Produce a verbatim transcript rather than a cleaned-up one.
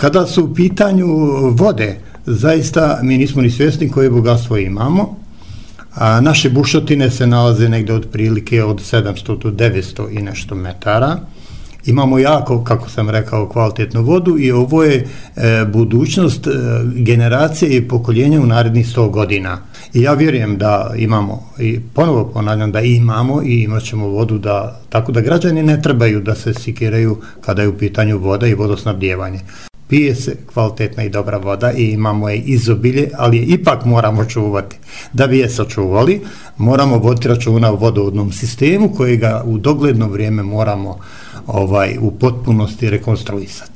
Kada su u pitanju vode, zaista mi nismo ni svjesni koje bogatstvo imamo. A naše bušotine se nalaze negde otprilike od sedamsto do devetsto i nešto metara. Imamo jako, kako sam rekao, kvalitetnu vodu i ovo je e, budućnost e, generacije i pokoljenja u narednih sto godina. I ja vjerujem da imamo, i ponovo ponavljam da imamo i imat ćemo vodu, da, tako da građani ne trebaju da se sikiraju kada je u pitanju voda i vodosnabdijevanje. Pije se kvalitetna i dobra voda i imamo je izobilje, ali je ipak moramo čuvati. Da bi je sačuvali, moramo voditi računa o vodovodnom sistemu kojega u dogledno vrijeme moramo ovaj, u potpunosti rekonstruisati.